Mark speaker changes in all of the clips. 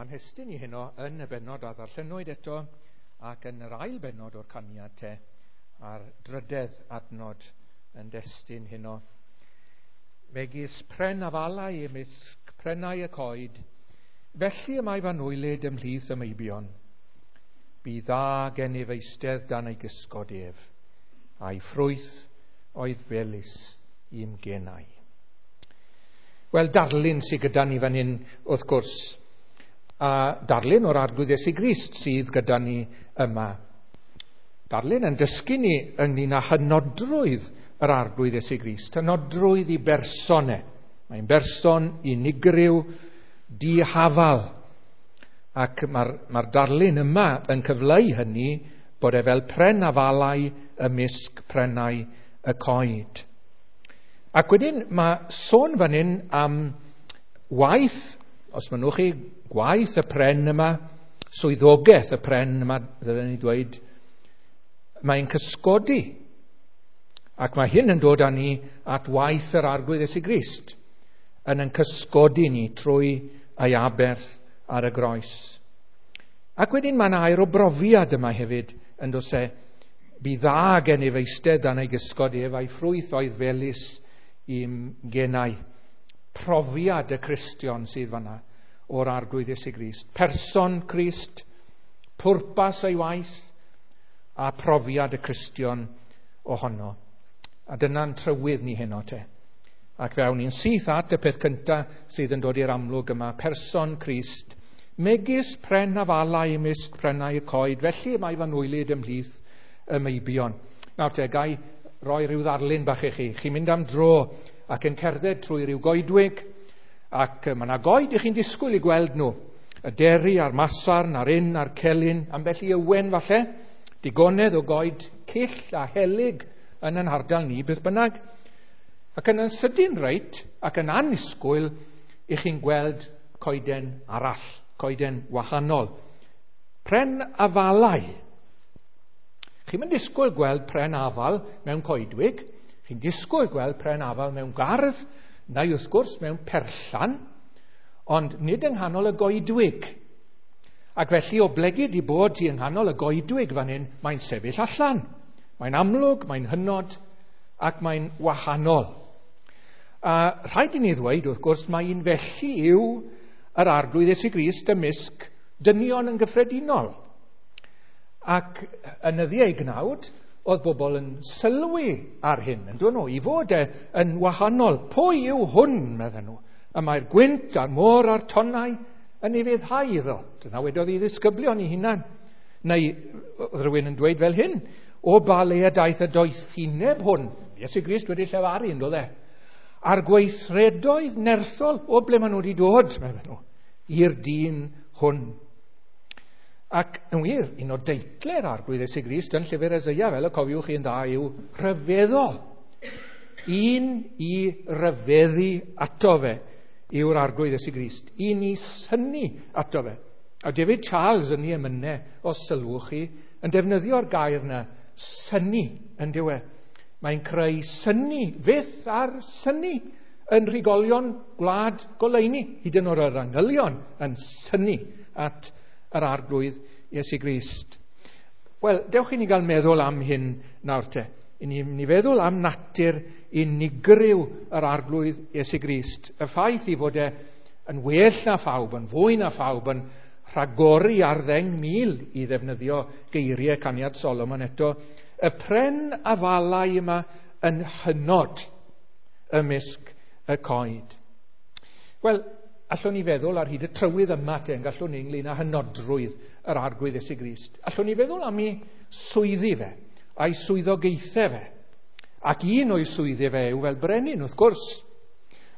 Speaker 1: Mae'n hestyn i heno yn y bennod a ddarllenwyd eto ac yn yr ail bennod o'r caniad te a'r drydedd adnod yn destun heno. Megis pren afalau ymysg prennau y coed, felly y mae fy ymhlith y meibion. Bu dda gennyf eistedd dan ei gysgod ef, a'i ffrwyth oedd felys i'm genau. Wel, darlun sydd gyda ni fan hyn, wrth gwrs, a darlun o'r Arglwydd Iesu Grist sydd gyda ni yma. Darlun yn dysgu ni ynglyn â hynodrwydd yr Arglwydd Iesu Grist, hynodrwydd i berson e. Mae'n berson unigryw, dihafal. Ac mae'r mae darlun yma yn cyfleu hynny bod e fel pren afalau ymysg prennau y coed. Ac wedyn mae sôn fan hyn am waith, os mynnwch chi, gwaith y pren yma, swyddogaeth y pren yma, ddylen ni dweud, mae'n cysgodi. Ac mae hyn yn dod â ni at waith yr Arglwydd Iesu Grist, yn yn cysgodi ni trwy ei aberth ar y groes. Ac wedyn mae'n air o brofiad yma hefyd yn dos e, bu dda gennyf eistedd dan ei gysgod ef a'i ffrwyth oedd felys i'm genau. Profiad y Cristion sydd fanna o'r Arglwydd Iesu Grist. Person Crist, pwrpas ei waith, a profiad y Cristion ohono. A dyna'n trywydd ni heno te. Ac fe awn ni'n syth at y peth cyntaf sydd yn dod i'r amlwg yma, person Crist, megis pren afalau ymysg prennau y coed, felly mae fy nwylyd ymhlith y meibion. Nawr te, gai roi rhyw ddarlun bach i chi. Chi'n mynd am dro ac yn cerdded trwy rhyw goedwig, ac mae yna goed i chi'n disgwyl i gweld nhw. Y deri a'r masarn a'r un a'r celyn, ambell i ywen falle, digonedd o goed cyll a helyg yn yn hardal ni, beth bynnag. Ac yn yn sydyn reit, ac yn annisgwyl, i chi'n gweld coeden arall, coeden wahanol. Pren afalau. Chi'n mynd disgwyl gweld pren afal mewn coedwig, chi'n disgwyl gweld pren afal mewn gardd, neu wrth gwrs mewn perllan, ond nid yng nghanol y goedwig. Ac felly o blegid i bod hi yng nghanol y goedwig fan hyn, mae'n sefyll allan. Mae'n amlwg, mae'n hynod, ac mae'n wahanol. A rhaid i ni ddweud, wrth gwrs, mae un felly yw yr Arglwydd Iesu Grist ymysg dynion yn gyffredinol. Ac yn nyddiau ei gnawd, oedd bobl yn sylwi ar hyn, yn dod nhw, i fod e yn wahanol. Pwy yw hwn, medden nhw? Y mae'r gwynt a'r môr a'r tonnau yn ei feddhau iddo. Dyna wedodd i ddisgyblion i hunan. Neu oedd rhywun yn dweud fel hyn, o ba le y daeth y doethineb hwn, Iesu Grist wedi llefaru yn dod e, a'r gweithredoedd nerthol o ble maen nhw wedi dod, medden nhw, i'r dyn hwn. Ac yn wir, un o deitle'r Arglwydd Iesu Grist yn llyfr Eseia, fel y cofiwch chi'n dda, yw rhyfeddol. Un i ryfeddu ato fe yw'r Arglwydd Iesu Grist. Un i synnu ato fe. A David Charles yn ei emynau, os sylwch chi, yn defnyddio'r gair yna, synnu, yn dyw e. Mae'n creu synnu, fyth ar synnu, yn rhigolion gwlad goleuni, hyd yn oed yr angylion yn synnu at yr Arglwydd Iesu Grist. Wel, dewch i ni gael meddwl am hyn nawr te. I ni, ni feddwl am natur unigryw yr Arglwydd Iesu Grist. Y ffaith i fod e yn well na phawb, yn fwy na phawb, yn rhagori ar 10,000 i ddefnyddio geiriau caniad Solomon eto, y pren afalau yma yn hynod ymysg y coed. Wel, allwn ni feddwl ar hyd y trywydd yma te, yn gallwn ni ynglyn â hynodrwydd yr Arglwydd Iesu Grist. Allwn ni feddwl am ei swyddi fe, a'i swyddogaethau fe. Ac un o'i swyddi fe yw fel brenin, wrth gwrs.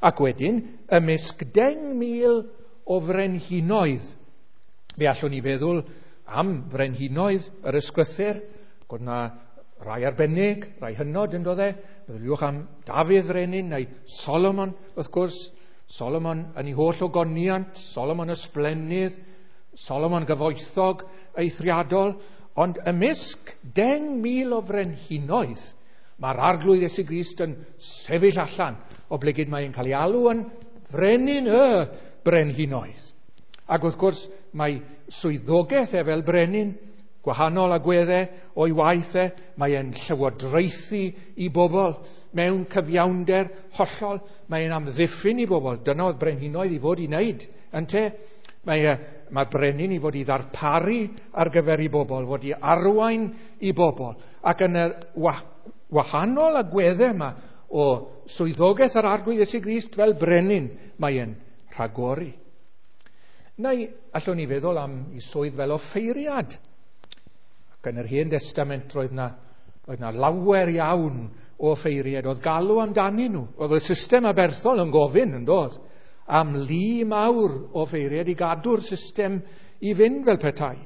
Speaker 1: Ac wedyn, ymysg 10,000 o frenhinoedd. Fe allwn ni feddwl am frenhinoedd yr ysgrythur, gwrdd na rai arbennig, rai hynod yn dod e. Meddyliwch am Dafydd frenin neu Solomon, wrth gwrs. Solomon yn ei holl ogoniant, Solomon ysblennydd, Solomon gyfoethog eithriadol, ond ymysg 10,000 o frenhinoedd, mae'r Arglwydd Iesu Grist yn sefyll allan, oblegid mae'n cael ei alw yn frenin y brenhinoedd. Ac wrth gwrs, mae swyddogaeth e fel brenin, gwahanol agweddau o'i waith e, mae e'n llywodraethu i bobl mewn cyfiawnder hollol, mae e'n amddiffyn i bobl. Dyna oedd brenhinoedd i fod i wneud, ynte? Mae'r brenin i fod i ddarparu ar gyfer i bobl, fod i arwain i bobl. Ac yn y wahanol agweddau yma o swyddogaeth yr Arglwydd Iesu Grist fel brenin, mae e'n rhagori. Neu allwn ni feddwl am ei swydd fel offeiriad. Ac yn yr Hen Destament roedd na lawer iawn o offeiriad. Oedd galw amdanyn nhw. Oedd y system aberthol yn gofyn, yn doedd, am lu mawr o offeiriad i gadw'r system i fynd fel petai.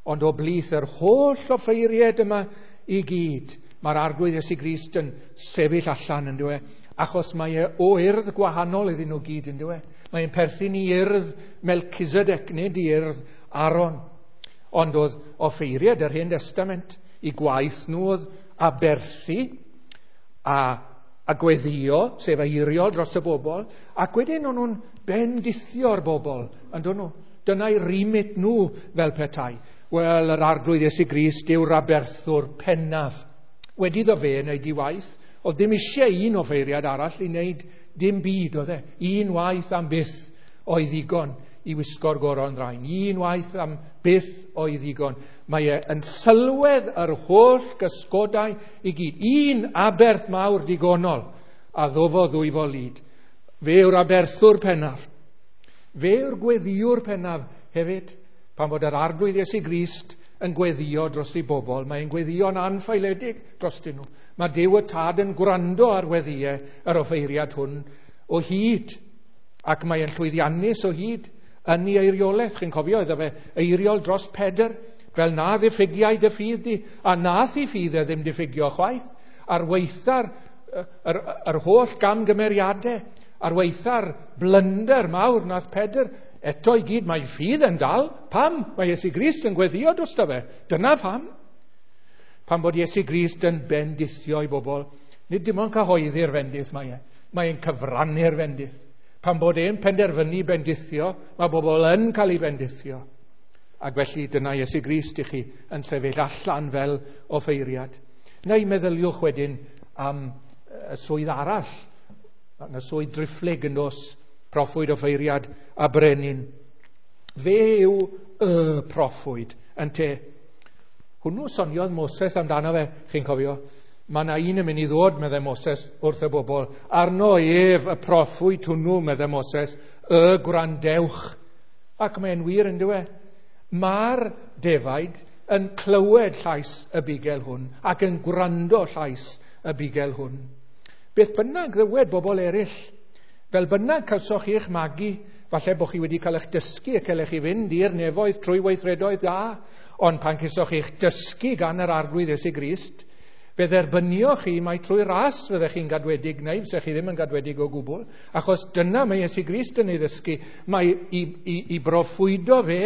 Speaker 1: Ond o blith yr holl offeiriad yma i gyd, mae'r Arglwydd Iesu Grist yn sefyll allan, yn dyw e, achos mae e o urdd gwahanol iddyn nhw gyd, yn dyw e. Mae'n perthyn i urdd Melchizedek, nid i urdd Aaron. Ond oedd offeiriad yr Hen Testament, i gwaith nhw oedd aberthu a gweddio, sef eiriol dros y bobl, ac wedyn o'n nhw'n bendithio'r bobl, yn dyn nhw. Dyna'i remit nhw fel petai. Wel, yr Arglwydd Iesu Grist yw'r aberthwr pennaf. Wedi iddo fe wneud ei waith, oedd ddim eisiau un offeiriad arall i wneud dim byd, oedd e. Un waith am byth oedd ddigon i wisgo'r goron ddrain. Un waith am byth oedd ddigon. Mae e yn sylwedd yr holl gysgodau i gyd. Un aberth mawr digonol a ddofodd ddwyfol lid. Fe yw'r aberthwr pennaf. Fe yw'r gweddiwr pennaf hefyd. Pan fod yr Arglwydd Iesu Grist yn gweddio dros ei bobl, mae'n gweddio'n anffaeledig drostyn nhw. Mae Duw y Tad yn gwrando ar weddïau yr offeiriad hwn o hyd, ac mae'n llwyddiannus o hyd yn ei eiriolaeth. Chi'n cofio, iddo fe eiriol dros Pedr, fel na ddiffygiai dy ffydd di, a nath i ffydd e ddim diffygio chwaith, ar weitha'r yr holl gamgymeriadau, ar weitha'r blunder mawr nath Pedr, eto i gyd mae ffydd yn dal. Pam? Mae Iesu Grist yn gweddio drosto fe. Dyna pam. Pam bod Iesu Grist yn bendithio i bobl, nid dim ond cyhoeddi'r fendith mae e, mae'n cyfrannu'r fendith. Pan bod e'n penderfynu bendithio, mae bobl yn cael ei bendithio. Ac felly dyna Iesu Grist i chi yn sefyll allan fel offeiriad. Neu meddyliwch wedyn am y swydd arall, y swydd driphlyg yn dos, proffwyd, offeiriad a brenin. Fe yw y proffwyd, ynte. Hwnnw soniodd Moses amdano fe, chi'n cofio. Mae yna un yn mynd i ddod, meddai Moses, wrth y bobl. Arno ef y proffwyd hwnnw, meddai Moses, y gwrandewch. Ac mae'n wir, yn dyw e. Mae'r defaid yn clywed llais y bugel hwn ac yn gwrando llais y bugel hwn. Beth bynnag ddywed bobl eraill, fel bynnag cawsoch chi eich magu, falle bod chi wedi cael eich dysgu ac cael eich i fynd i'r nefoedd trwy weithredoedd da, ond pan cesoch chi eich dysgu gan yr Arglwydd Iesu Grist, fe dderbynioch chi mai trwy ras fyddech chi'n gadwedig, neu fysech chi ddim yn gadwedig o gwbl, achos dyna mae Iesu Grist yn ei ddysgu, mae i broffwydo fe,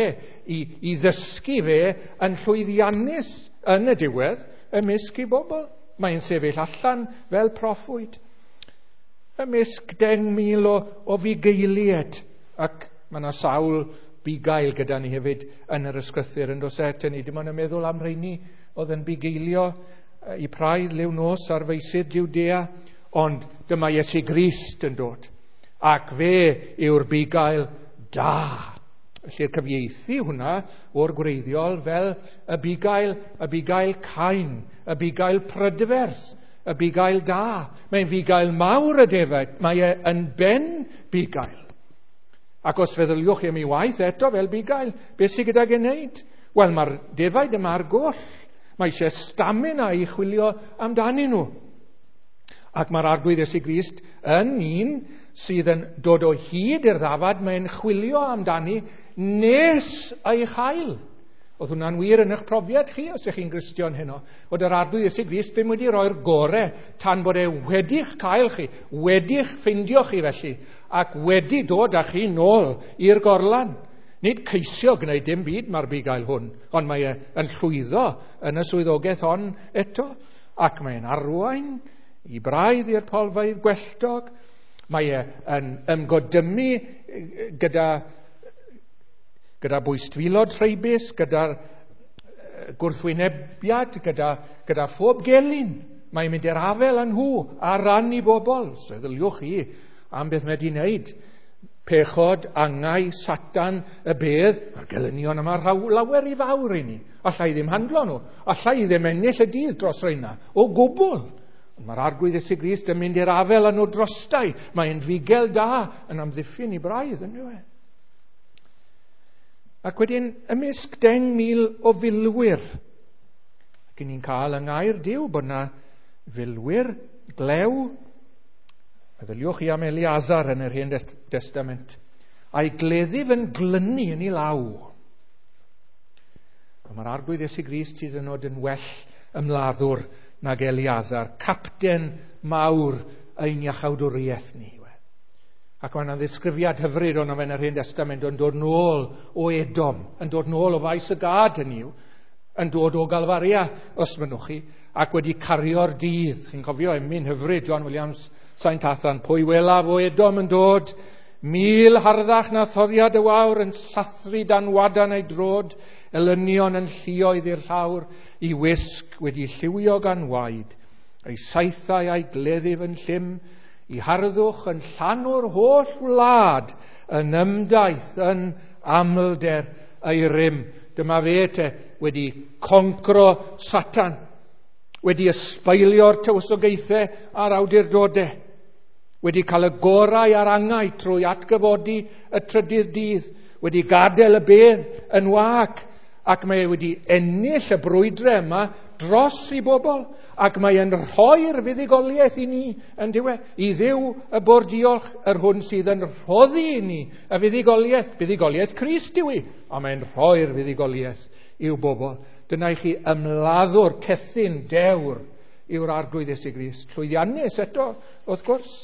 Speaker 1: i ddysgu fe yn llwyddiannus yn y diwedd ymysg i bobl. Mae'n sefyll allan fel proffwyd ymysg 10,000 o fugeiliaid, ac mae yna sawl bugail gyda ni hefyd yn yr ysgrythur yn does e, ni dim ond yn meddwl am rheini oedd yn bugeilio i praidd liw nos ar feysydd Judea, ond dyma Iesu Grist yn dod, ac fe yw'r bugail da. Felly'r cyfieithu hwnna o'r gwreiddiol fel y bugail cain, y bugail prydferth, y bugail da. Mae'n fugail mawr y defaid, mae e yn ben bugail. Ac os feddyliwch chi am ei waith eto fel bugail, beth sydd gydag e wneud? Wel, mae'r defaid yma ar goll. Mae eisiau stamina i chwilio amdanyn nhw. Ac mae'r Arglwydd Iesu Grist yn un sydd yn dod o hyd i'r ddafad, mae'n chwilio amdani nes ei chael. Oedd hwnna'n wir yn eich profiad chi, os ych chi'n Gristion heno, fod yr Arglwydd Iesu Grist ddim wedi rhoi'r gore tan bod e wedi'ch cael chi, wedi'ch ffeindio chi felly, ac wedi dod â chi nôl i'r gorlan. Nid ceisio gwneud dim byd mae'r bugail hwn, ond mae e yn llwyddo yn y swyddogaeth hon eto, ac mae'n arwain i braidd i'r polfeydd gwelltog, mae e yn ymgodymu gyda Gyda bwystfilod rheibus, gyda'r gwrthwynebiad, gyda phob gelyn. Mae'n mynd i'r afel â nhw ar ran i bobl. Seddyliwch chi am beth mae wedi wneud. Pechod, angau, Satan, y bedd, mae'r gelynion yma lawer i fawr i ni. Alla i ddim handlo nhw. Alla i ddim ennill y dydd dros reina. O gwbl. Mae'r Arglwydd Iesu Grist yn mynd i'r afel â nhw drostai. Mae'n fugel da yn amddiffyn i braidd, yn dyw e? Ac wedyn, ymysg 10,000 o filwyr, ac ni'n cael yng ngair Duw bod yna filwyr glew. Meddyliwch chi am Eleazar yn yr Hen Destament, a'i gleddyf yn glynu yn ei law. Mae'r Arglwydd Iesu Grist hyd yn oed yn well ymladdwr nag Eleazar, capten mawr ein iachawdwriaeth ni. Ac mae yna ddisgrifiad hyfryd ono fe yn yr Hen Destament yn dod nôl o Edom, yn dod nôl o faes y gad hynny yw, yn dod o Galfaria, os mynnwch chi, ac wedi cario'r dydd. Chi'n cofio emyn hyfryd John Williams, Saint Athan, pwy welaf o Edom yn dod, 1000 harddach na thoriad y wawr yn sathru dan wadan ei drod, elynion yn lluoedd i'r llawr, i wisg wedi lliwio gan waed, ei saethau a'i gleddyf yn llym, i harddwch yn llanw'r holl wlad, yn ymdaith yn amlder ei rym. Dyma fe te wedi concro Satan, wedi ysbeilio'r tywysogaethau a'r awdurdodau, wedi cael y gorau a'r angau trwy atgyfodi y trydydd dydd, wedi gadael y bedd yn wag, ac mae e wedi ennill y brwydrau yma dros i bobl, ac mae e'n rhoi'r fuddugoliaeth i ni yn diwedd, i Dduw y bo'r diolch yr hwn sydd yn rhoddi i ni y fuddugoliaeth, fuddugoliaeth Crist yw i, a mae'n rhoi'r fuddugoliaeth i'w bobl. Dyna i chi ymladdwr cethyn dewr yw'r Arglwydd Iesu Grist. Llwyddiannus eto, wrth gwrs.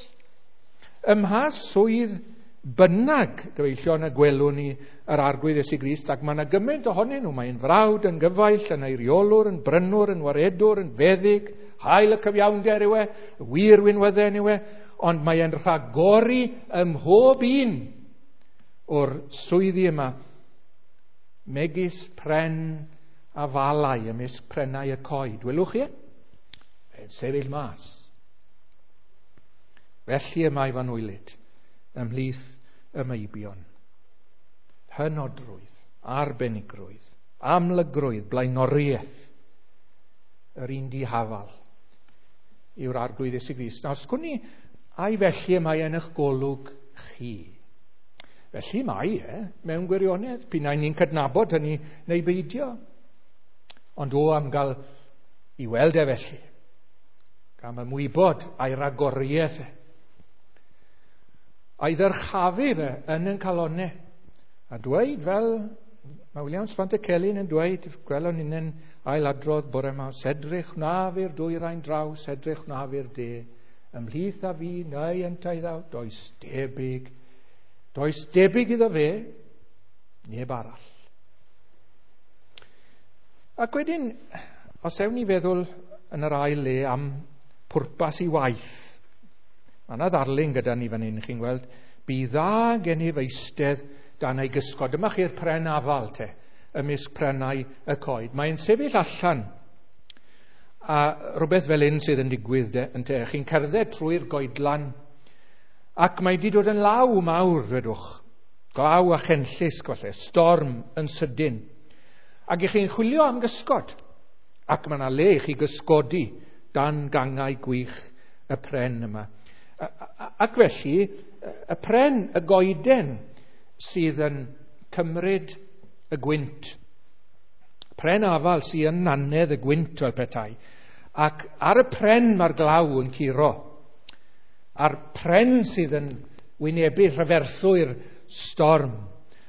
Speaker 1: Ym mha swydd bynnag, gyfeillion, y gwelwn ni yr Arglwydd Iesu Grist, ac mae yna gymaint ohonyn nhw. Mae'n frawd, yn gyfaill, yn eiriolwr, yn brynwr, yn waredwr, yn feddyg, hael y cyfiawnder yw e, y wir winwydden yw e, ond mae'n rhagori ym mhob un o'r swyddi yma, megis pren a falau ymysg prennau y coed. Welwch chi? Mae'n sefyll mas. Felly y mae fanwylyd ymhlith y meibion. Hynodrwydd, arbenigrwydd, amlygrwydd, blaenoriaeth, yr un dihafal yw'r Arglwydd Iesu Grist. Nawr, sgwn i, ai felly y mae yn eich golwg chi? Felly mae e, mewn gwirionedd, p'un ai ni'n cydnabod hynny neu beidio. Ond o am gael i weld e felly, gan ymwybod a'i ragoriaeth e, a'i ddyrchafu fe yn ein calonnau, a dweud fel mae Williams Pantycelyn yn dweud, gwelwn ni'n ailadrodd bore yma, sedrych wnaf i'r dwyrain draw, sedrych wnaf i'r de, ymhlith a fi neu yntau ddaw, does debyg iddo fe, neb arall. Ac wedyn, os ewn ni feddwl yn yr ail le am pwrpas i waith, mae yna ddarlun gyda ni fan hyn, chi'n gweld, bu dda gennyf eistedd dan ei gysgod. Dyma chi'r pren afal te, ymysg prennau y coed. Mae'n sefyll allan, a rhywbeth fel un sydd yn digwydd de, yn te. Chi'n cerdded trwy'r goedlan, ac mae wedi dod yn law mawr, dwedwch. Glaw a chenllysg, falle, storm yn sydyn. Ac i chi'n chwilio am gysgod, ac mae yna le i chi gysgodi dan gangau gwych y pren yma. Ac felly, y pren, y goeden, sydd yn cymryd y gwynt. Pren afal sydd yn nannedd y gwynt fel petai. Ac ar y pren mae'r glaw yn curo. A'r pren sydd yn wynebu rhyferthwy'r storm.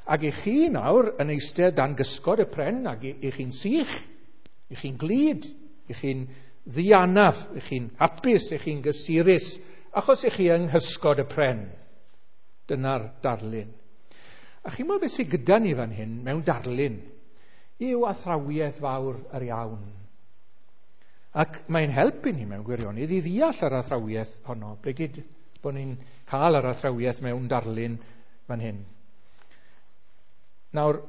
Speaker 1: Ac i chi nawr yn eistedd dan gysgod y pren, ac i chi'n sych, i chi'n glud, i chi'n ddianaf, i chi'n hapus, i chi'n gysurus, achos i chi yng nghysgod y pren. Dyna'r darlun. A chi'n meddwl beth sydd gyda ni fan hyn mewn darlun yw athrawiaeth fawr yr iawn. Ac mae'n helpu ni mewn gwirionedd i ddeall yr athrawiaeth honno, blegid bod ni'n cael yr athrawiaeth mewn darlun fan hyn. Nawr,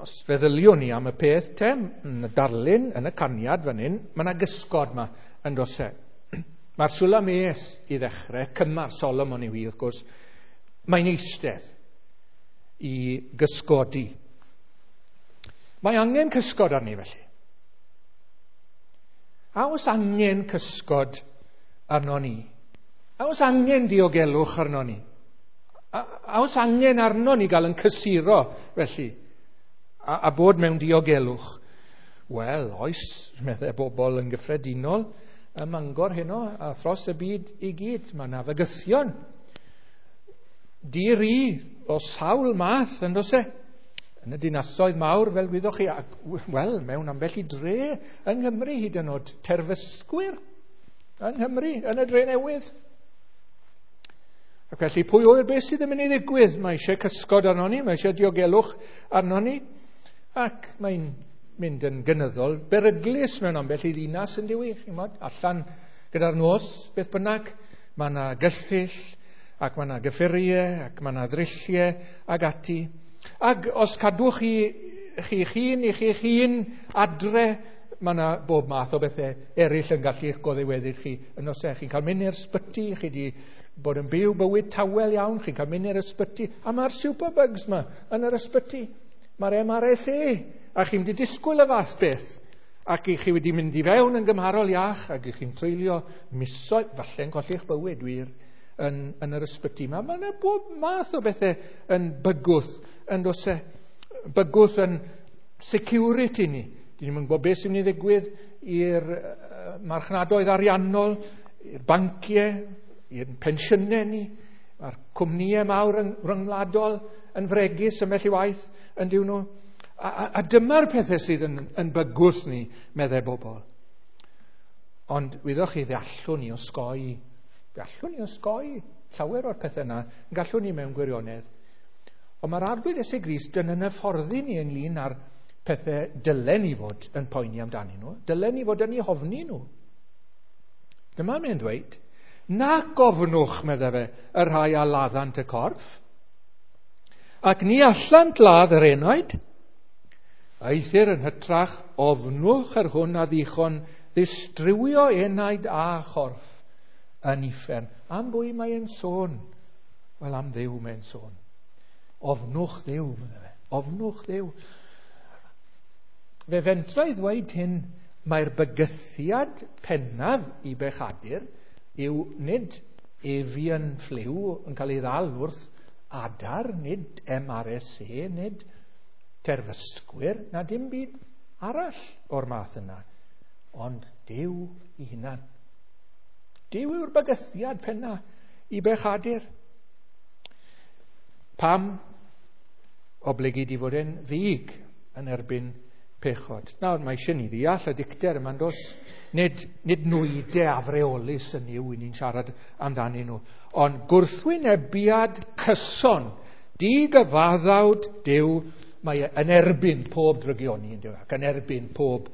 Speaker 1: Os feddyliwn ni am y peth te, yn y darlun, yn y caniad fan hyn, mae yna gysgod yma yn does e. Mae'r Sulames i ddechrau, cymar Solomon yw hi wrth gwrs, mae'n eistedd i gysgodi. Mae angen cysgod arni felly. A oes angen cysgod arno ni? A oes angen diogelwch arno ni? A oes angen arno ni gael yn cysuro felly? A bod mewn diogelwch? Wel, oes, meddai bobl yn gyffredinol ym Mangor heno a thros y byd i gyd. Mae yna fygythion di-ri o sawl math yn does e? Yn y dinasoedd mawr, fel wyddoch chi, ac, wel, mewn ambell i dre yng Nghymru hyd yn oed, terfysgwyr yng Nghymru, yn y dre newydd. Ac felly, pwy oer beth sydd yn mynd i ddigwydd? Mae eisiau cysgod arno ni, mae eisiau diogelwch arno ni, ac mae'n mynd yn gynyddol beryglus mewn ambell i ddinas yn diwy, chi'n mod, allan gyda'r nos, beth bynnag, mae yna gyllyll, ac mae yna gyffuriau, ac mae yna ddrylliau, ac ati. Ac os cadwch chi chi'ch hun i chi'ch hun adre, mae yna bob math o bethau eraill yn gallu eich goddiweddyd chi yn os e. Chi'n cael mynd i'r ysbyty, chi wedi bod yn byw bywyd tawel iawn, chi'n cael mynd i'r ysbyty, a mae'r superbugs yma yn yr ysbyty. Mae'r MRSA, a chi'n mynd i disgwyl y fath beth. Ac i chi wedi mynd i fewn yn gymharol iach, ac i chi'n treulio misoedd, falle'n colli'ch bywyd wir, yn yr ysbyty yma. Mae yna bob math o bethau yn bygwth, yn does e, bygwth yn security ni. Dyn ni'n gwybod beth sy'n mynd i ddigwydd i'r marchnadoedd ariannol, i'r banciau, i'r pensiynau ni, mae'r cwmnïau mawr ryngwladol yn fregus ymell i waith yn diw nhw. A dyma'r pethau sydd yn bygwth ni, meddai bobl. Ond wyddoch chi, fe allwn ni osgoi, fe allwn ni osgoi llawer o'r pethau yna, yn gallwn ni mewn gwirionedd. Ond mae'r Arglwydd Iesu Grist yn hyfforddi ni ynglyn â'r pethau dylen ni fod yn poeni amdanyn nhw, dylen ni fod yn eu hofni nhw. Dyma mae'n dweud, na gofnwch, meddai fe, y rhai a laddant y corff, ac ni allant ladd yr enaid, eithr yn hytrach ofnwch yr hwn a ddichon ddistrywio enaid a chorff yn uffern. Am bwy mae'n sôn? Wel, am Dduw mae'n sôn. Ofnwch Dduw, meddai fe. Ofnwch Dduw. Fe fentra i ddweud hyn, mae'r bygythiad pennaf i bechadur yw nid avian flu yn cael ei ddal wrth adar, nid MRSA, nid terfysgwyr, na dim byd arall o'r math yna, ond Duw i hunan. Duw yw'r bygythiad penna i bechadur. Pam? Oblegid i fod e'n ddig yn erbyn pechod. Nawr, mae eisiau ni ddeall y dicter yma'n dos. Nid nwydau afreolus yn yw i ni'n siarad amdanyn nhw, ond gwrthwynebiad cyson, digyfaddawd Duw, mae e yn erbyn pob drygioni, yn ac yn erbyn pob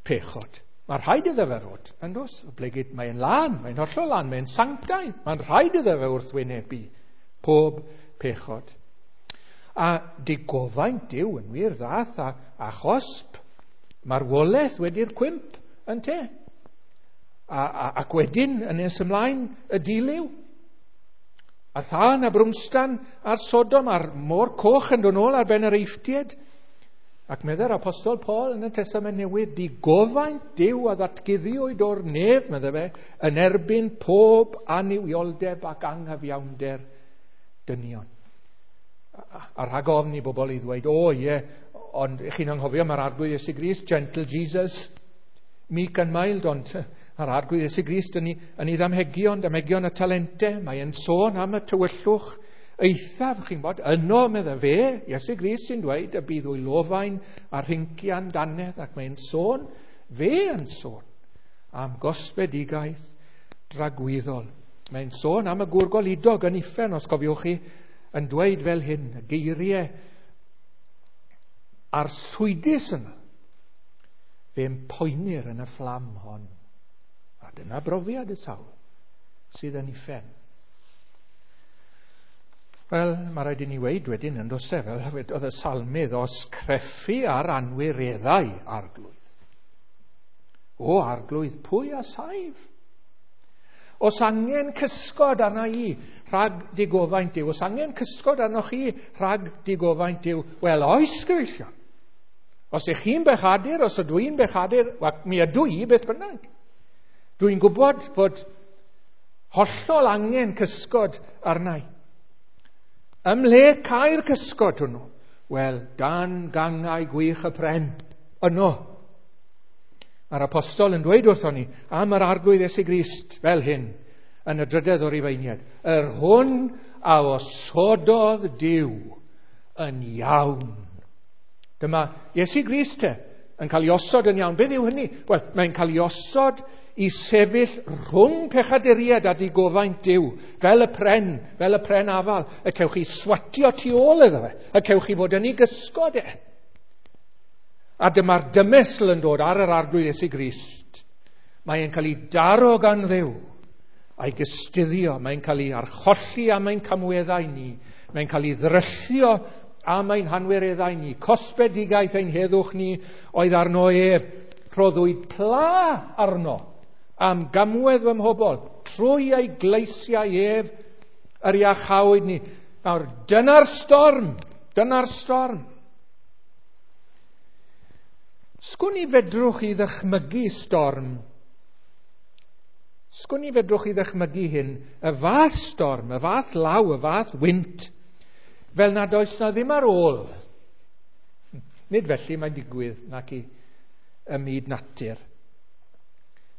Speaker 1: pechod. Mae rhaid iddo fe fod, yn dos, oblegid mae'n lân, mae'n hollol lân, mae'n sanctaidd, mae'n rhaid iddo fe wrthwynebu pob pechod. A digofaint Duw yn wir ddath a chosb marwolaeth wedi'r cwymp yn te. Ac wedyn yn nes ymlaen y dilyw. A thân a brwmstan a'r Sodom a'r môr coch yn dod nôl ar ben yr Eifftiaid. Ac meddai'r Apostol Paul yn y Testament Newydd, digofaint Duw a ddatguddiwyd o'r nef, meddai fe, yn erbyn pob annuwioldeb ac anghyfiawnder dynion. A rhag ofn i bobl i ddweud, o ie, ond chi'n anghofio mae'r Arglwydd Iesu Grist, gentle Jesus, meek and mild, ond mae'r Arglwydd Iesu Grist yn ei ddamhegion, damhegion y talentau, mae'n sôn am y tywyllwch eithaf, chi'n bod, yno, meddai fe, Iesu Grist sy'n dweud y bydd wylofain a rhincian dannedd, ac mae'n sôn, fe yn sôn, am gosbedigaeth dragwyddol. Mae'n sôn am y gŵr goludog yn uffern, os cofiwch chi, yn dweud fel hyn, y geiriau arswydus yna, fe'n poenir yn y fflam hon. A dyna brofiad y sawl sydd yn uffern. Wel, mae rhaid i ni weud wedyn yn does e, fel wedodd y salmydd, os creffu ar anwireddau arglwydd. O arglwydd, pwy a saif? Os angen cysgod arna i rhag digofaint Duw, os angen cysgod arnoch chi rhag digofaint Duw, wel, oes gyfeillion. Os ych chi'n bechadur, os ydw i'n bechadur, wel, mi ydw i beth bynnag. Dwi'n gwybod bod hollol angen cysgod arna i. Ymhle cael cysgod hwnnw? Wel, dan gangau gwych y pren, yno. Mae'r apostol yn dweud wrthon ni am yr arglwydd Iesu Grist fel hyn yn y drydedd o'r Rufeiniaid. Yr hwn a osododd Duw yn iawn. Dyma Iesu Grist te yn cael ei osod yn iawn. Beth yw hynny? Wel, mae'n cael ei osod i sefyll rhwng pechaduriaid a digofaint Duw, fel y pren, fel y pren afal, y cewch chi swatio tu ôl iddo fe, y cewch chi fod yn ei gysgod e. A dyma'r dymestl yn dod ar yr arglwydd Iesu Grist. Mae'n cael ei daro gan Dduw a'i gystuddio, mae'n cael ei archolli am ein camweddau ni, mae'n cael ei ddryllio am ein hanwireddau ni, cosbedigaeth ein heddwch ni oedd arno ef, rhoddwyd pla arno am gamwedd fy mhobol, trwy ei gleisiau ef yr iachawyd ni. Nawr, dyna'r storm, dyna'r storm. Sgwn i fedrwch chi ddychmygu storm. Sgwn i fedrwch chi ddychmygu hyn, y fath storm, y fath law, y fath wynt, fel nad oes na ddim ar ôl. Nid felly mae'n digwydd nac i ym myd natur.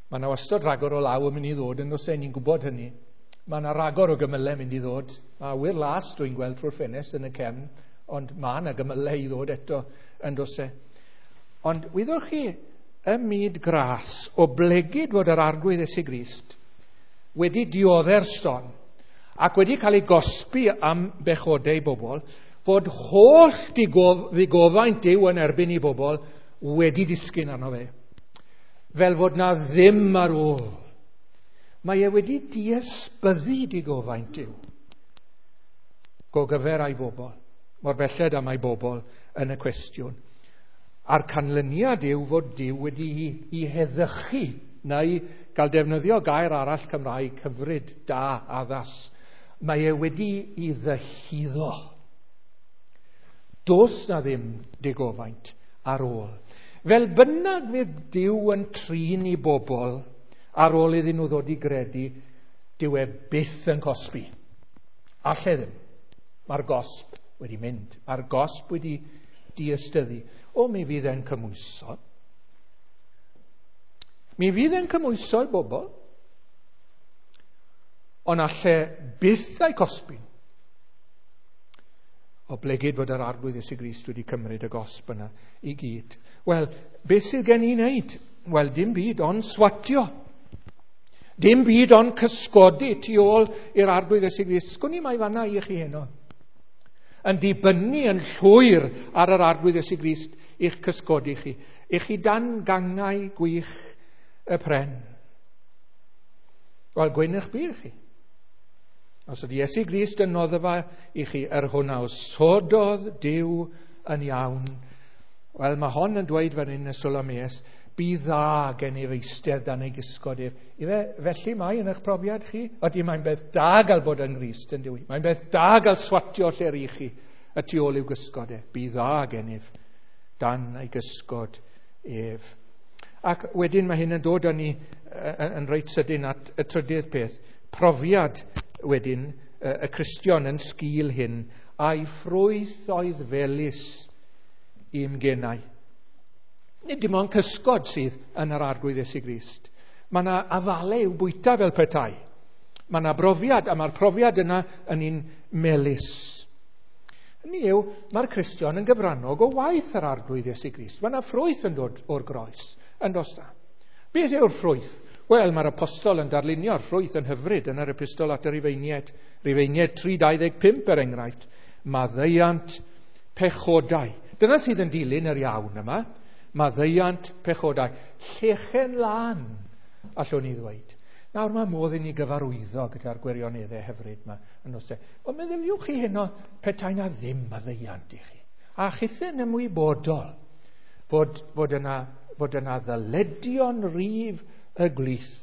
Speaker 1: Mae yna wastad ragor o law yn mynd i ddod, yn oes e, ni'n gwybod hynny. Mae yna ragor o gymylau mynd i ddod. Mae awyr las dwi'n gweld trwy'r ffenest yn y cefn, ond mae yna gymylau i ddod eto yn does e. Ond wyddwch chi, ym myd gras, o blegid fod yr arglwydd Iesu Grist wedi diodde'r storm ac wedi cael ei gosbi am bechodau bobl, fod holl ddigofaint Duw yn erbyn i bobl wedi disgyn arno fe. Fel fod na ddim ar ôl. Mae e wedi diesbyddu digofaint Duw gogyfer a'i bobl, mor belled am ei bobl yn y cwestiwn. A'r canlyniad yw fod Duw wedi i heddychu, neu gael defnyddio gair arall Cymraeg hyfryd, da, addas. Mae e wedi i ddyhuddo. Does na ddim digofaint ar ôl. Fel bynnag fydd Duw yn trin i bobl ar ôl iddyn nhw ddod i gredu, dyw e byth yn cosbi. Alle ddim. Mae'r gosb wedi mynd. Mae'r gosb wedi diystyddu. O, mi fydd e'n cymhwyso. Mi fydd e'n cymhwyso i bobl, ond alle byth a'i cosbi. O blegid fod yr arglwydd Iesu Grist wedi cymryd y gosb yna i gyd. Wel, beth sydd gen i wneud? Wel, dim byd ond swatio. Dim byd ond cysgodi tu ôl i'r arglwydd Iesu Grist. Sgwn i mai fanna i chi heno. Yn dibynnu yn llwyr ar yr arglwydd Iesu Grist i'ch cysgodi chi. I chi dan gangau gwych y pren. Wel, gwyn eich byd chi. Os ydy Iesu Grist yn noddfa i chi, yr hwn a osododd Duw yn iawn. Wel, mae hon yn dweud fan hyn y Solames, bydd dda gen i eistedd dan ei gysgod ef. Ife, felly mae yn eich profiad chi? Ydy mae'n beth da gael bod yng Nghrist yn dyw? Mae'n beth da gael swatio lle rych chi y tu ôl i'w gysgod e. Bydd dda gennyf dan ei gysgod ef. Ac wedyn mae hyn yn dod â ni yn reit sydyn at y trydydd peth. Profiad wedyn y Cristion yn sgil hyn, a'i ffrwyth oedd felys i'm genau. Nid dim ond cysgod sydd yn yr arglwydd Iesu Grist. Mae yna afalau i'w bwyta fel petai. Mae yna brofiad, a mae'r profiad yna yn un melys. Hynny yw, mae'r Cristion yn gyfrannog o waith yr arglwydd Iesu Grist. Mae yna ffrwyth yn dod o'r groes, yn does na. Beth yw'r ffrwyth? Wel, mae'r apostol yn darlunio'r ffrwyth yn hyfryd yn yr epistol at y Rufeiniaid. Rufeiniaid 3:25 er enghraifft. Maddeuant pechodau. Dyna sydd yn dilyn yr iawn yma. Maddeuant pechodau. Llechen lân, allwn ni ddweud. Nawr mae modd i ni gyfarwyddo gyda'r gwirioneddau hyfryd yma yn oes e. Ond meddyliwch chi heno petai na ddim maddeuant i chi. A chithau'n ymwybodol fod yna ddyledion rif y gwlith.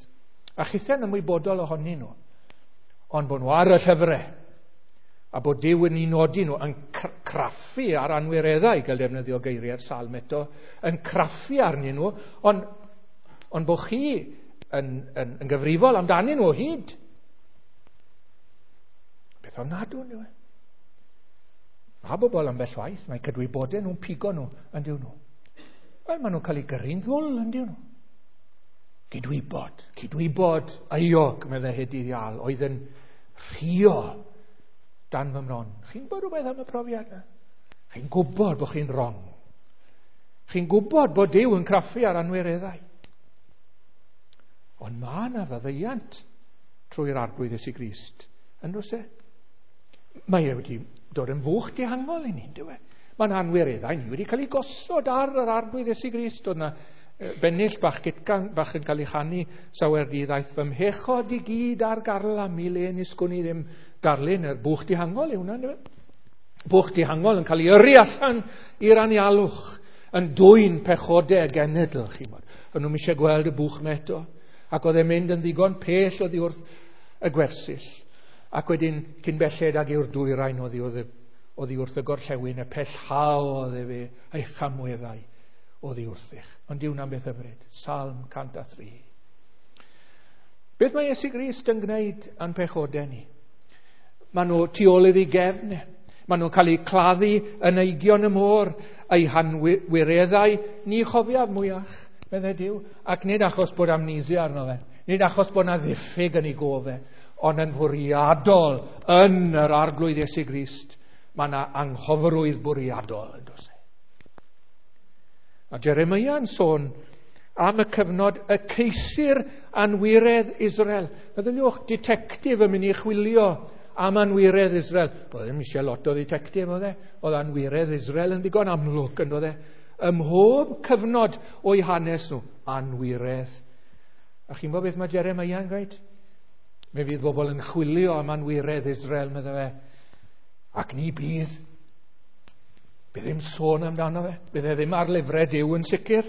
Speaker 1: A chithau'n ymwybodol ohonyn nhw. Ond bod nhw ar y llyfrau. A bod Duw yn ei nodi nhw yn craffu ar anwireddau, gael defnyddio geiriau'r salm eto, yn craffu arnyn nhw, ond bod chi yn gyfrifol amdanyn nhw o hyd. Beth ofnadw yw e. Mae bobl ambell waith, mae cydwybodau nhw'n pigo nhw yn dyw nhw. Wel, maen nhw'n cael eu gyrru'n ddwl yn dyw nhw. Cydwybod euog, meddai Hedydd Iâl, oedd yn rhuo dan fy mron. Chi'n gwybod rhywbeth am y profiad yna? Chi'n gwybod bod chi'n wrong. Chi'n gwybod bod Duw yn craffu ar anwireddau. Ond mae yna faddeuant trwy'r Arglwydd Iesu Grist. Yn does e? Mae e wedi dod yn fwch dihangol i ni, dyw e? Mae'n anwireddau ni wedi cael ei gosod ar yr Arglwydd Iesu Grist. Oedd yna bennill bach gytgan bach yn cael ei chanu sawer dydd aeth fy mhechod i gyd ar garlam i le nis gwn i ddim darlun yr bwch dihangol yw hwnna, dyw e? Bwch dihangol yn cael ei yrru allan i'r anialwch yn dwyn pechodau genedl, chi'n bod. O'n nhw'n eisiau gweld y bwch yma eto. Ac oedd e'n mynd yn ddigon pell oddi wrth y gwersyll. Ac wedyn cyn belled ag yw'r dwyrain oddi wrth y gorllewin, y pellhaodd efe ei chamweddau oddi wrthych. Ond dyw hwnna'n beth hyfryd. Salm 103. Beth mae Iesu Grist yn gwneud a'n pechodau ni? Maen nhw tu ôl iddi gefn. Maen nhw'n cael eu claddu yn eigion y môr, eu hanwireddau ni chofiaf mwyach, meddai Duw. Ac nid achos bod amnesia arno fe, nid achos bod na ddiffyg yn ei gof e, ond yn fwriadol yn yr Arglwydd Iesu Grist, mae yna anghofrwydd bwriadol yn does e. A Jeremiah yn sôn am y cyfnod y ceisir anwiredd Israel. Meddyliwch, ditectif yn mynd i chwilio am anwiredd Israel. Oedd ddim eisiau lot o dditectif, oedd e? Oedd anwiredd Israel yn ddigon amlwg, yn oedd e? Ym mhob cyfnod o'i hanes nhw, anwiredd. A chi'n gwybod beth mae Jeremiah yn gweud? Mi fydd bobl yn chwilio am anwiredd Israel, meddai fe. Ac ni bydd. Bydd ddim sôn amdano fe. Bydd e ddim ar lyfrau Duw yn sicr.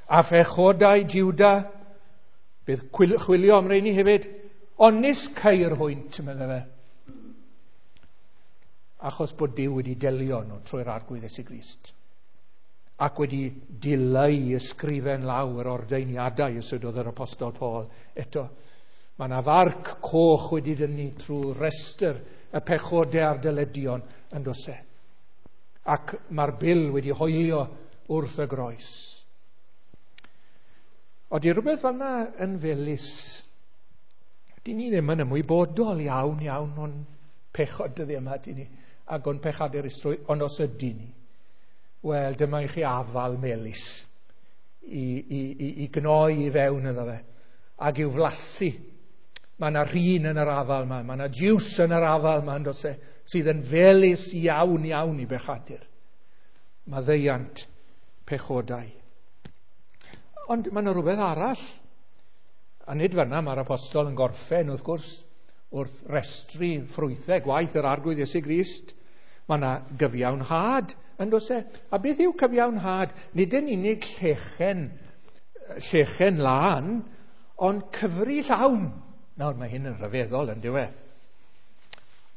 Speaker 1: A phechodau Juda. Bydd chwilio am reini hefyd. Ond nis ceir hwynt, meddai fe. Achos bod Duw wedi delio nhw trwy'r Arglwydd Iesu Grist. Ac wedi dileu ysgrifen law yr ordeiniadau, ysydodd yr Apostol Paul eto. Mae yna farc coch wedi dynnu trwy restr y pechodau a'r dyledion yn does e. Ac mae'r bil wedi hoelio wrth y groes. Oeddi rhywbeth fel yna yn felys. Dyn ni ddim yn ymwybodol iawn iawn o'n pechod dyddi yma, dyn ni, ac o'n pechadurusrwydd, ond os ydyn ni, wel, dyma i chi afal melys i gnoi i fewn iddo fe, ac i'w flasu. Mae yna rhin yn yr afal yma, mae yna jiws yn yr afal yma, yn does e, sydd yn felys iawn iawn i bechadur. Maddeuant pechodau. Ond mae yna rhywbeth arall. A nid fan'na mae'r apostol yn gorffen, wrth gwrs, wrth restru ffrwythau gwaith yr Arglwydd Iesu Grist. Mae yna gyfiawnhad, yn does e? A beth yw cyfiawnhad? Nid yn unig llechen lân, ond cyfri llawn. Nawr, mae hyn yn rhyfeddol, yn dyw e?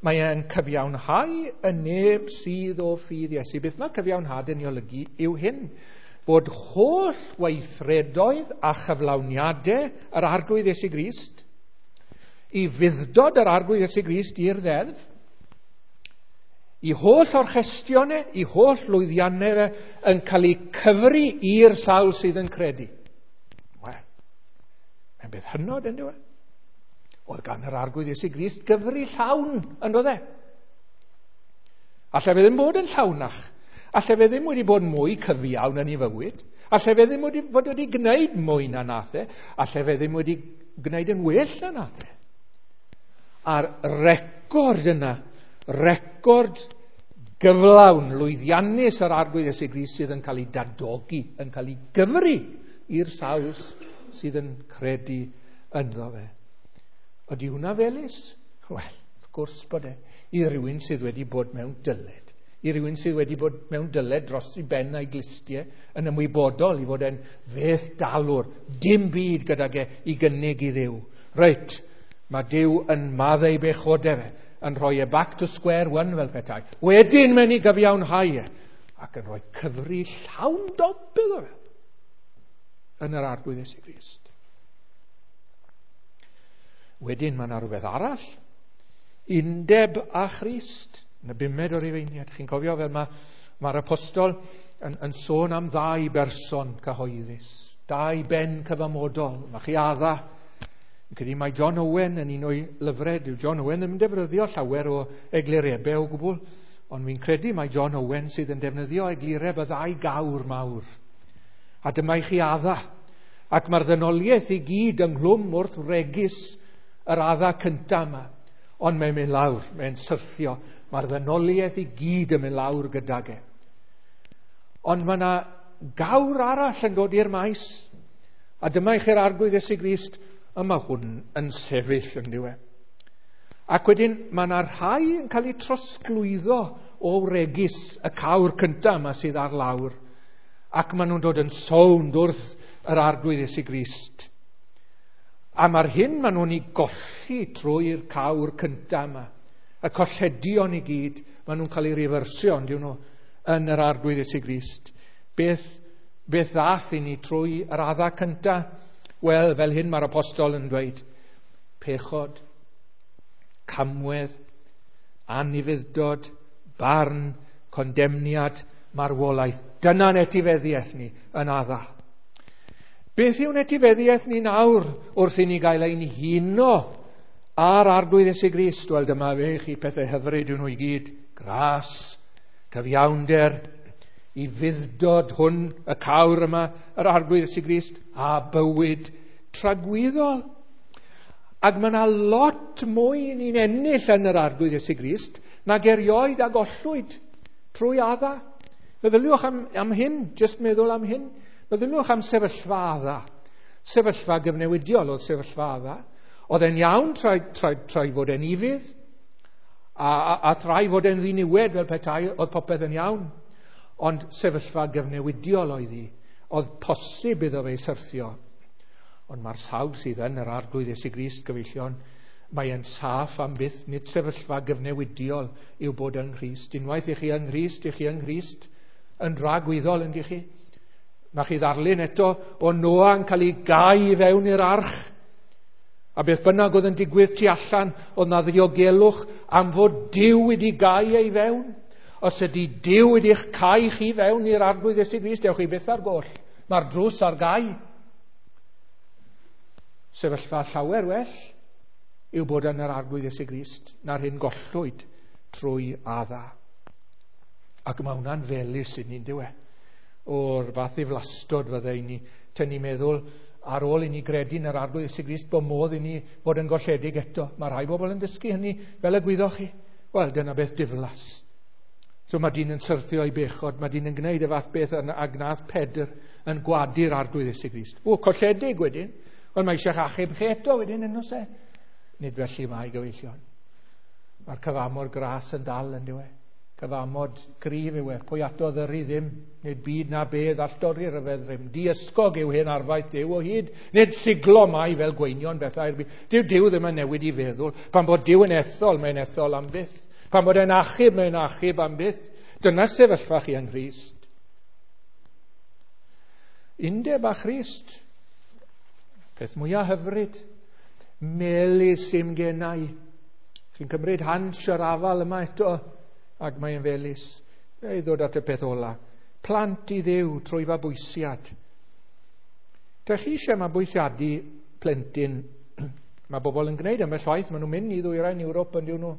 Speaker 1: Mae e'n cyfiawnhau y neb sydd o ffydd Iesu. Beth mae cyfiawnhad yn ei olygu yw hyn, bod holl weithredoedd a chyflawniadau yr Arglwydd Iesu Grist, i fuddod yr Arglwydd Iesu Grist i'r ddeddf, i holl orchestion e, i holl lwyddiannau fe, yn cael eu cyfri i'r sawl sydd yn credu. Wel, mae'n beth hynod, yn dyw e? Oedd gan yr Arglwydd Iesu Grist gyfri llawn, yn doedd e? Alle fe ddim bod yn llawnach. Alle fe ddim wedi bod mwy cyfiawn yn ei fywyd. Alle fe ddim wedi fod wedi gwneud mwy na nath e. Alle fe ddim wedi gwneud yn well na nath e. A'r record yna, record gyflawn, lwyddiannus yr Arglwydd Iesu Grist sydd yn cael ei dadogi, yn cael ei gyfri i'r sawl sydd yn credu ynddo fe. Ydy hwnna felys? Wel, wrth gwrs bod e. I rywun sydd wedi bod mewn dyled. I rywun sydd wedi bod mewn dyled dros ei ben a'i glustiau, yn ymwybodol i fod e'n feth dalwr, dim byd gydag e i gynnig i Dduw. Reit, mae Duw yn maddau bechodau fe, yn rhoi e back to square one fel petai. Wedyn mae'n ei gyfiawnhau e, ac yn rhoi cyfri llawn dop iddo fe yn yr Arglwydd Iesu Grist. Wedyn mae yna rhywbeth arall. Undeb â Christ. Yn y bumed o'r Rufeiniad. Chi'n cofio fel mae'r apostol yn sôn am ddau berson cyhoeddus. Dau ben cyfamodol. Mae chi Adda. Fi'n credu mai John Owen yn un o'i lyfrau. Dyw John Owen ddim yn defnyddio llawer o eglurebau o gwbl. Ond fi'n credu mai John Owen sydd yn defnyddio eglureb y ddau gawr mawr. A dyma i chi Adda. Ac mae'r ddynoliaeth i gyd ynghlwm wrth wregys yr Adda cyntaf yma. Ond mae'n mynd lawr, mae'n syrthio. Mae'r ddynoliaeth i gyd yn mynd lawr gydag e. Ond mae yna gawr arall yn dod i'r maes. A dyma i chi'r Arglwydd Iesu Grist, a mae hwn yn sefyll yn diwe. Ac wedyn mae yna rhai yn cael eu trosglwyddo o wregys y cawr cyntaf yma sydd ar lawr. Ac maen nhw'n dod yn sownd wrth yr Arglwydd Iesu Grist. A mae'r hyn maen nhw'n ei golli trwy'r cawr cyntaf yma, y colledion i gyd, maen nhw'n cael eu refersio, on'd yw nhw, yn yr Arglwydd Iesu Grist. Beth ddath i ni trwy yr Adda cyntaf? Wel, fel hyn mae'r apostol yn dweud, pechod, camwedd, anufudd-dod, barn, condemniad, marwolaeth. Dyna'n etifeddiaeth ni yn Adda. Beth yw'n etifeddiaeth ni nawr wrth i ni gael ein huno ar Arglwydd Iesu Grist? Wel, dyma fe chi, pethau hyfryd yw nhw i gyd. Gras, cyfiawnder, i fudd-dod hwn, y cawr yma, yr Arglwydd Iesu Grist, a bywyd tragwyddol. Ac mae yna lot mwy ni'n ennill yn yr Arglwydd Iesu Grist nag erioed a gollwyd trwy Adda. Meddyliwch am hyn, jyst meddwl am hyn. Meddyliwch am sefyllfa Adda. Sefyllfa gyfnewidiol oedd sefyllfa Adda. Oedd e'n iawn trai fod e'n ufudd, a thrai fod e'n ddiniwed fel petai, oedd popeth yn iawn. Ond sefyllfa gyfnewidiol oedd hi. Oedd posib iddo fe syrthio. Ond mae'r sawl sydd yn yr Arglwydd Iesu Grist, gyfeillion, mae e'n saff am byth. Nid sefyllfa gyfnewidiol yw bod yng Nghrist. Unwaith i chi yng Nghrist, i chi yng Nghrist yn dragwyddol, yndych chi. Mae chi ddarlun eto o Noa yn cael ei gau i fewn i'r arch. A beth bynnag oedd yn digwydd tu allan, oedd na ddiogelwch am fod Duw wedi gau ei fewn. Os ydy Duw wedi'ch cau chi fewn i'r Arglwydd Iesu Grist, dewch chi byth ar goll. Mae'r drws ar gau. Sefyllfa llawer well yw bod yn yr Arglwydd Iesu Grist na'r hyn gollwyd trwy Adda. Ac mae hwnna'n felys i ni'n dyw e. O'r fath ddiflastod fydde i ni tynnu meddwl ar ôl i ni gredu yn yr Arglwydd Iesu Grist bod modd i ni fod yn golledig eto. Mae rhai bobl yn dysgu hynny fel y gwyddoch chi. Wel, dyna beth diflas. So mae dyn yn syrthio i bechod, mae dyn yn gwneud y fath beth a gnath Pedr yn gwadu'r Arglwydd Iesu Grist. O, colledig wedyn. Wel, mae eisiau'ch achub chi eto wedyn yn oes e. Nid felly mae, gyfeillion. Mae'r cyfamod gras yn dal yn dyw e. Cyfamod cryf yw e. Pwy ato ddyru ddim, nid byd na bedd all dorri'r ryfedd rym. Diysgog yw hen arfaeth Duw o hyd. Nid siglo mai fel gweinion bethau'r byd. Dyw Duw ddim yn newid i feddwl. Pan bod Duw yn ethol, mae'n ethol am byth. Pan bod e'n achub, mae'n achub am byth. Dyna sefyllfa chi yng Nghrist. Undeb â Christ. Peth mwyaf hyfryd. Melys i'm genau. Chi'n cymryd hans yr afal yma eto, ac mae'n felys. Ei ddod at y peth ola. Plant i Dduw trwy fabwysiad. Dych chi eisiau mabwysiadu plentyn? Mae bobl yn gwneud ambell waith. Maen nhw'n mynd i ddwyrain Ewrop yn diw nhw.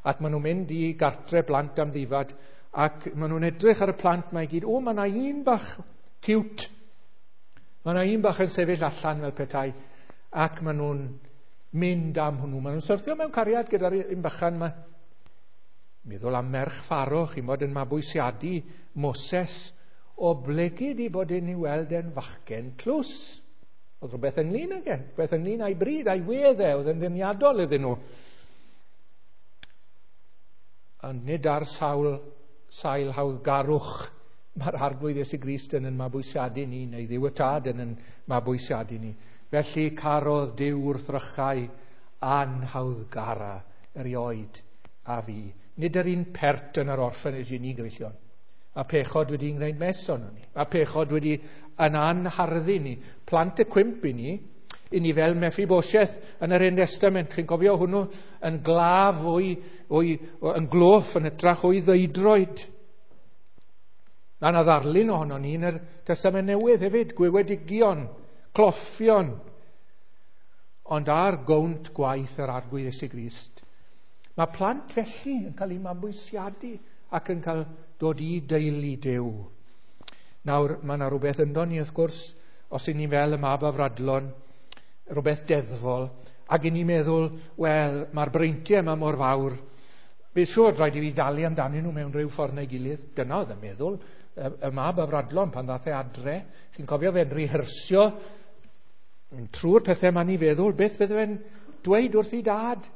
Speaker 1: Ac maen nhw'n mynd i gartre blant am ddifad. Ac maen nhw'n edrych ar y plant mae i gyd. O, mae yna un bach cute. Mae yna un bach yn sefyll allan fel petai. Ac maen nhw'n mynd am hwnnw. Maen nhw'n syrthio mewn cariad gyda'r un bychan yma. Meddwl am merch Pharaoh, chi'n bod yn mabwysiadu Moses, oblegid i bod yn ei weld yn fachgen tlws. Oedd rhywbeth ynglyn ag e, rhywbeth ynglyn â'i bryd, a'i wedd e, oedd yn ddeniadol iddyn nhw. Ond nid ar sail hawddgarwch mae'r Arglwydd Iesu Grist yn mabwysiadu ni, neu Dduw y Tad yn mabwysiadu ni. Felly carodd Duw wrthrychau anhawddgara erioed a fi. Nid yr un pert yn yr orphanage i ni, gyfeillion. A pechod wedi gwneud mes ohonon ni. A pechod wedi yn anharddu ni. Plant y cwymp i ni fel Mephibosheth yn yr Hen Testament. Chi'n cofio hwnnw yn glaf yn gloff yn hytrach o'i ddeudroed. Mae yna ddarlun ohono ni yn yr Testament Newydd hefyd, gwywedigion, cloffion. Ond ar gownt gwaith yr Arglwydd Iesu Grist, mae plant felly yn cael eu mabwysiadu ac yn cael dod i deulu Duw. Nawr, mae yna rhywbeth ynddo ni, wrth gwrs, os y'n ni fel y mab afradlon, rhywbeth deddfol, ac y'n ni'n meddwl, wel, mae'r breintiau yma mor fawr, fe siŵr rhaid i fi dalu amdanyn nhw mewn rhyw ffordd neu gilydd. Dyna oedd yn meddwl, y mab afradlon pan ddath e adre. Chi'n cofio fe'n rehearsio trwy'r pethau ma'n i feddwl, beth fydde fe'n dweud wrth ei dad?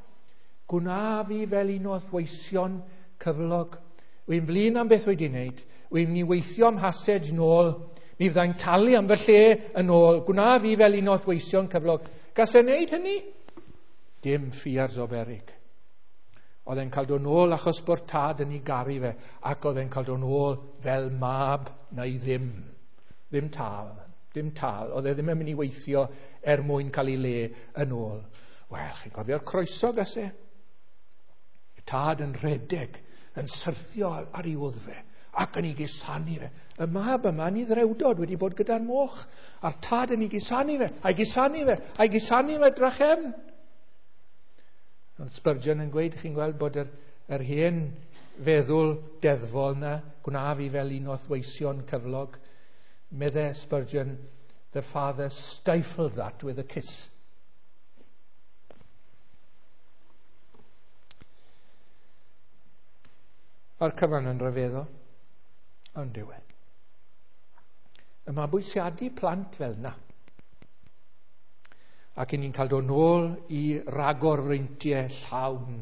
Speaker 1: Gwna fi fel un o'th weision cyflog. Wy'n flin am beth wedi wneud. Wy'n mynd i weithio am hasage nôl. Mi fyddai'n talu am fy lle yn ôl. Gwna fi fel un o'th weision cyflog. Gas e wneud hynny? Dim ffiars o berig. Oedd e'n cael dod nôl achos bod tad yn ei garu fe, ac oedd e'n cael dod nôl fel mab neu ddim. Ddim tal. Dim tal. Oedd e ddim yn mynd i weithio er mwyn cael ei le yn ôl. Wel, chi'n cofio'r croeso gas e? Tad yn rhedeg, yn syrthio ar ei wddf fe, ac yn ei gusanu fe. Y mab yma yn ei ddrewdod wedi bod gyda'r moch, a'r tad yn ei gusanu fe, a'i gusanu fe, a'i gusanu fe drachefn. Oedd Spurgeon yn gweud, chi'n gweld bod yr hen feddwl deddfol na, gwna fi fel un o'th weision cyflog. Medde Spurgeon, the father stifled that with a kiss. Mae'r cyfan yn rhyfeddol, ond dyw e. Y mabwysiadu plant fel na. Ac i ni'n cael dod nôl i ragorfreintiau llawn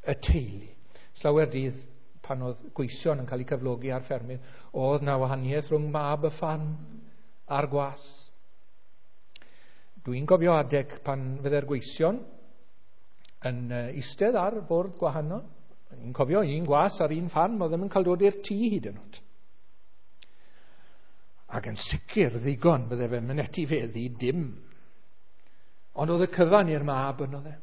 Speaker 1: y teulu. Slawer dydd pan oedd gweision yn cael eu cyflogi ar ffermydd, oedd na wahaniaeth rhwng mab y ffarm a'r gwas. Dwi'n cofio adeg pan fydde'r gweision yn eistedd ar fwrdd gwahanol. Dwi'n cofio un gwas ar un ffarm oedd ddim yn cael dod i'r tŷ hyd yn oed. Ac yn sicr ddigon fydde fe'n mynd etifeddu dim. Ond oedd y cyfan i'r mab yn oedd e.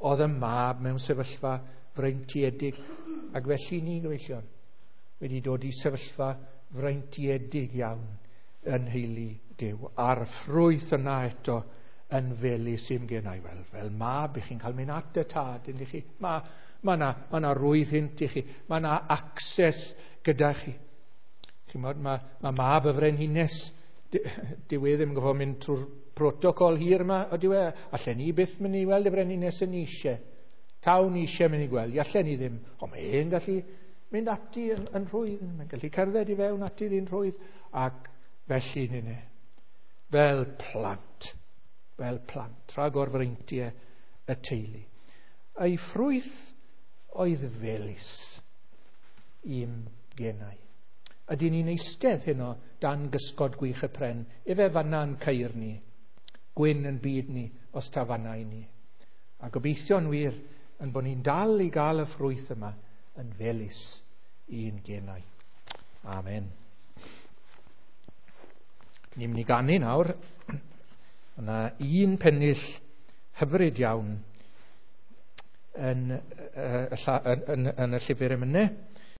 Speaker 1: Oedd y mab mewn sefyllfa freintiedig. Ac felly ni, gyfeillion, wedi dod i sefyllfa freintiedig iawn yn nheulu Duw. A'r ffrwyth yna eto yn felys i'm genau. Wel, fel mab, i chi'n cael mynd at y tad, ydych chi. Mae yna rwydd hint i chi. Mae yna access gyda chi. Chi'mod, mae mab y frenhines, dyw e ddim yn gorfod mynd trwy'r protocol hir yma, ydyw e? Allen ni byth mynd i weld y frenhines yn eisiau. Taw ni eisiau mynd i gweld, allen ni ddim. Ond mae e'n gallu mynd ati yn rhwydd, mae'n gallu cerdded i fewn ati ddyn rhwydd, ac felly nynne, fel plant, rhagorfreintiau y teulu. Ei ffrwyth oedd felys i'm genau. Ydyn ni'n eistedd heno dan gysgod gwych y pren, efe fanna'n ceir ni, gwyn yn byd ni, os ta fanna i ni. A gobeithio'n wir yn bod ni'n dal i gael y ffrwyth yma yn felys i'n genau. Amen. Ni'n mynd i ganu nawr. Yna un pennill hyfryd iawn yn y llyfr emynau.